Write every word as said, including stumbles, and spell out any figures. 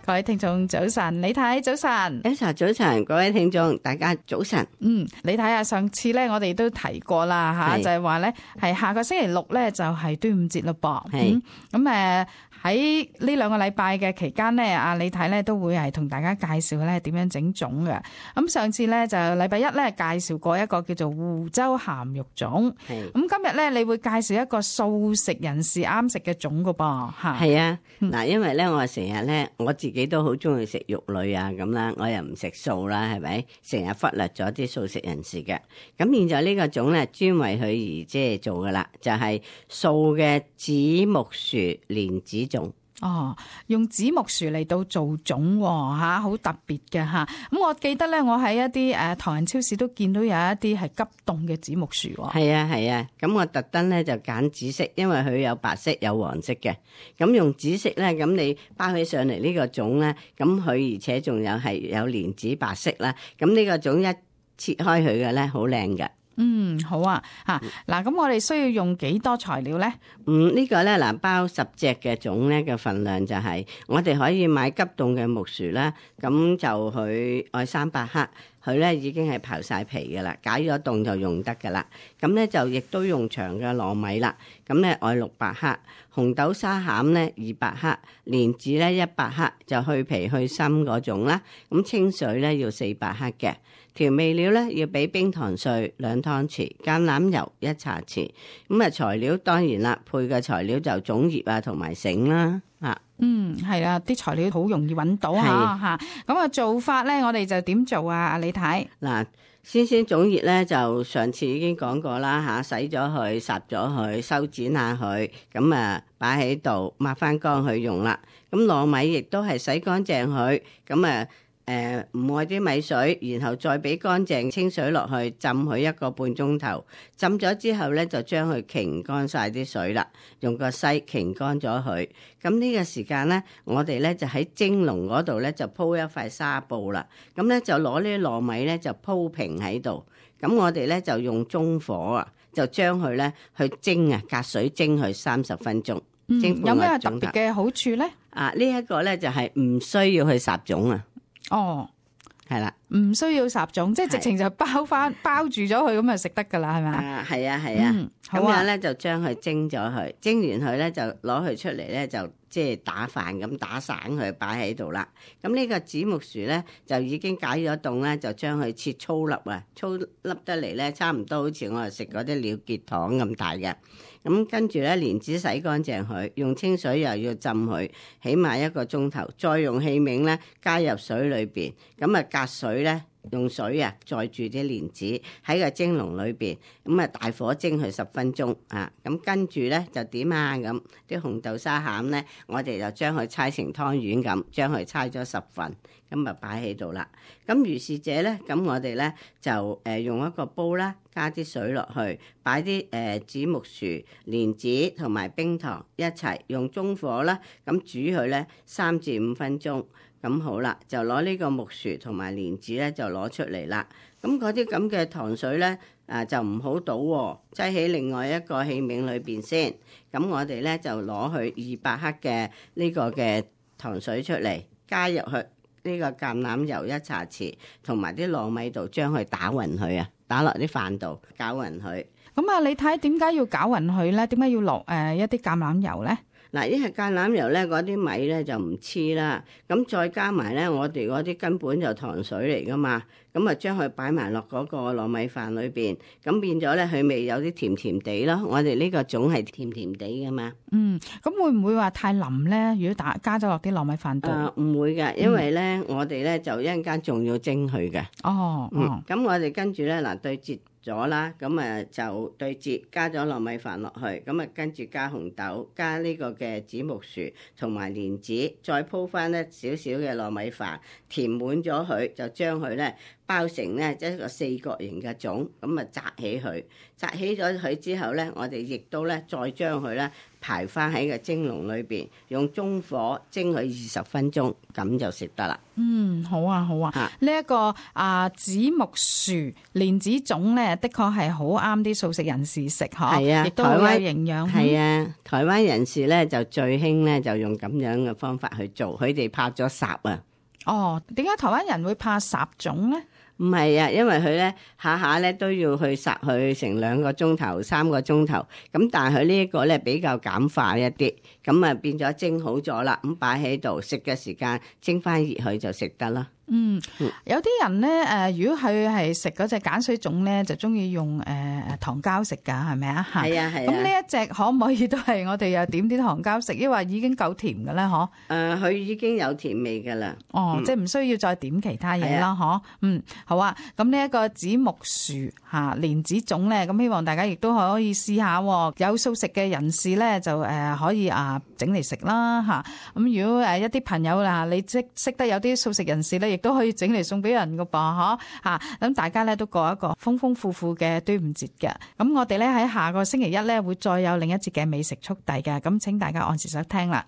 各位聽眾早晨，李太早晨。Elsa 早晨，各位聽眾大家早晨。嗯，你睇下上次咧，我哋都提過啦吓，就係話咧係下個星期六咧就係端午節咯噃。係咁誒喺呢兩個禮拜嘅期間咧，阿李太咧都會係同大家介紹咧點樣整粽嘅。咁上次咧就禮拜一咧介紹過一個叫做湖州鹹肉粽。係咁今日咧你會介紹一個素食人士啱食嘅粽噶噃吓。係啊，嗱、嗯，因為咧我成日咧我自己都好中意食肉類啊咁啦，我又唔食素啦，係咪？成日忽略咗啲素食人士嘅。咁現在呢個粽咧專為佢而即係做噶啦，就係、是、素嘅紫木薯蓮子粽。哦，用紫木薯嚟到做粽吓，好特別嘅吓。咁我記得咧，我喺一啲誒唐人超市都見到有一啲係急凍嘅紫木薯。係啊係啊，咁我特登咧就揀紫色，因為佢有白色有黃色嘅。咁用紫色咧，咁你包起上嚟呢個粽咧，咁佢而且仲有係有蓮子白色啦。咁呢個粽一切開佢嘅咧，好靚嘅。嗯，好啊，吓嗱，咁我哋需要用幾多材料咧？嗯，這個、呢個咧嗱，包十隻嘅粽咧嘅份量就係、是，我哋可以買急凍嘅木薯啦，咁就佢愛三百克，佢咧已經係刨晒皮噶啦，解咗凍就用得噶啦。咁咧就亦都用長嘅糯米啦，咁咧愛六百克，紅豆沙餡咧二百克，蓮子咧一百克，就去皮去心嗰種啦。咁清水咧要四百克嘅。調味料咧要俾冰糖碎兩湯匙，橄欖油一茶匙。咁啊材料當然啦，配嘅材料就粽葉啊同埋繩啦。啊，嗯係啊，啲材料好容易揾到吓吓。咁啊做法咧，我哋就點做啊？阿李太嗱，先先粽葉咧就上次已經講過啦吓，洗咗佢，烚咗佢，修剪下佢，咁啊擺喺度抹翻乾去用啦。咁糯米亦都係洗乾淨佢，咁啊。誒唔愛啲米水，然後再俾乾淨清水落去浸佢一個半鐘頭，浸咗之後咧就將佢擎乾晒啲水啦，用個篩擎乾咗佢。咁呢個時間咧，我哋咧就喺蒸籠嗰度咧就鋪一塊紗布啦。咁咧就攞呢啲糯米咧就鋪平喺度。咁我哋咧就用中火啊，就將佢咧去蒸啊，隔水蒸佢三十分鐘。嗯，蒸有咩特別嘅好處咧？啊，呢、這、一個咧就係唔需要去烚粽啊。哦，係啦，唔需要烚粽，即係直情就包翻包住咗佢，咁就食得噶啦，係咪？啊，係啊，係啊，咁、嗯啊、樣咧就將佢蒸咗佢，蒸完佢咧就攞佢出嚟咧就即係打飯咁打散佢擺喺度啦。咁呢個紫木薯咧就已經解咗凍咧，就將佢切粗粒啊，粗粒得嚟咧差唔多好似我哋食嗰啲了結糖咁大嘅。咁跟住咧，蓮子洗乾淨佢，用清水又要浸佢，起碼一個鐘頭，再用器皿咧加入水裏邊，咁啊隔水咧用水啊載住啲蓮子喺個蒸籠裏邊，咁啊大火蒸佢十分鐘啊，咁跟住咧就點啊咁啲紅豆沙餡咧，我哋就將佢搓成湯圓咁，將佢搓咗十份，咁啊擺喺度啦。咁如是者咧，咁我哋咧就誒用一個煲啦，加啲水落去，擺啲誒紫木薯、蓮子同埋冰糖一齊，用中火啦，咁煮佢咧三至五分鐘。咁好啦，就攞呢個木薯同埋蓮子咧就攞出嚟啦。咁嗰啲咁嘅糖水咧啊就唔好倒喎，擠喺另外一個器皿裏邊先。咁我哋咧就攞去二百克嘅呢個嘅糖水出嚟，加入去呢個橄欖油一茶匙，同埋啲糯米度將佢打勻佢啊，打落啲飯度攪勻佢。咁啊，你睇點解要攪勻佢咧？點解要落誒一啲橄欖油咧？嗱，因為橄欖油咧，嗰啲米咧就唔黐啦，咁再加埋咧，我哋嗰啲根本就糖水嚟噶嘛，咁啊將佢擺埋落嗰個糯米飯裏邊，咁變咗咧佢味有啲甜甜地咯。我哋呢個粽係甜甜地噶嘛。嗯，咁會唔會話太腍咧？如果打加咗落啲糯米飯度？啊，唔會嘅，因為咧、嗯、我哋咧就一陣間仲要蒸佢嘅。哦，嗯，咁我哋跟住咧嗱對折咗啦，咁啊就對折加咗糯米飯落去，咁啊跟住加紅豆，加呢個嘅紫木薯同埋蓮子，再鋪翻一少少嘅糯米飯，填滿咗佢，就將佢咧包成咧一個四角形嘅粽，咁啊紮起佢，紮起咗佢之後咧，我哋亦都咧再將佢咧排翻喺個蒸籠裏邊，用中火蒸佢二十分鐘，咁就食得啦。嗯，好啊，好啊。呢一、啊這個啊紫木薯蓮子粽咧，的確係好啱啲素食人士食，嗬。係啊，亦都好有營養。係啊，台灣人士咧就最興咧就用咁樣嘅方法去做，佢哋怕咗烚啊。哦，點解台灣人會怕烚粽咧？唔係啊，因為佢咧下下咧都要去烚佢成兩個鐘頭、三個鐘頭，咁但係佢呢一個咧比較簡化一啲，咁啊變咗蒸好咗啦，咁擺喺度食嘅時間蒸翻熱佢就食得啦。嗯，有啲人咧誒，如果佢係食嗰隻鹼水粽咧，就中意用誒誒糖膠食噶，係咪啊？係啊係啊。咁呢一隻可唔可以都係我哋又點啲糖膠食？抑或已經夠甜嘅咧？嗬？誒，佢已經有甜味噶啦。哦，嗯、即係唔需要再點其他嘢啦，嗬、啊？嗯，好啊。咁呢一個紫木薯嚇蓮子粽咧，咁希望大家亦都可以試下。有素食嘅人士咧，就誒可以啊整嚟食啦嚇。咁如果誒一啲朋友啊，你即識得有啲素食人士咧，都可以整嚟送俾人噶噃，嗬吓，咁大家咧都過一個豐豐富富嘅端午節嘅。咁我哋咧喺下個星期一咧會再有另一節嘅美食速遞嘅，咁請大家按時收聽啦。